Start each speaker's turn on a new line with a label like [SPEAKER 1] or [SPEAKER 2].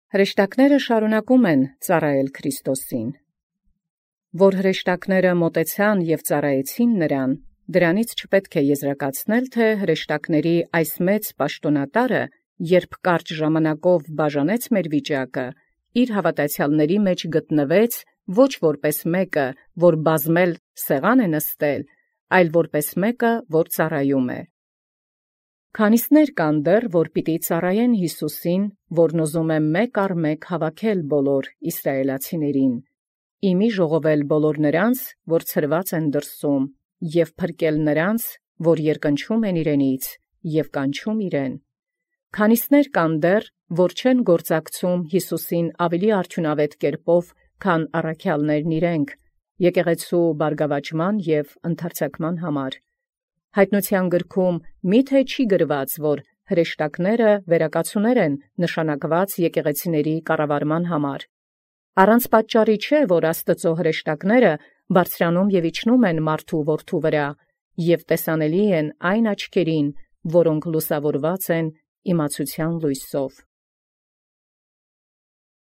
[SPEAKER 1] Հրեշտակները շարունակում են ծառայել Քրիստոսին։ Որ հրեշտակները մոտեցան և ծառայեցին նրան, դրանից չպետք է եզրակացնել, թե հրեշտակների այս մեծ պաշտոնատարը, երբ կարճ ժամանակով բաժանեց մեր վիճակը, իր հավատացյալների մեջ գտնվեց ոչ որպես մեկը, որ բազմել սեղան է նստել, այլ որպես մեկը, որ ծառայում է։ Քանիսներ կան դեռ, որ պիտի ծառայեն Յիսուսին, որն ուզում է մեկ առ մեկ հավաքել բոլոր իսրայելացիներին, իմի ժողովել բոլոր նրանց, որ ցրված են դրսում, և փրկել նրանց, որ երկնչում են իրենից, և կանչում իրեն։ Քանիսներ կան դեռ, որ չեն գործակցում Յիսուսին ավելի արդյունավետ կերպով, քան առաքյալներն իրենք, եկեղեցու բարգավաճման և ընդարձակման համար։ Հայտնության գրքում մի՞թե չի գրված, որ հրեշտակները վերակացուներ են նշանակված եկեղեցիների կառավարման համար։ Առանց պատճառի չէ, որ Աստծո հրեշտակները բարձրանում և իջնում են մարդու որդու վրա, և տեսանելի են այն աչքերին, որոնք լուսավորված են իմացության լույսով։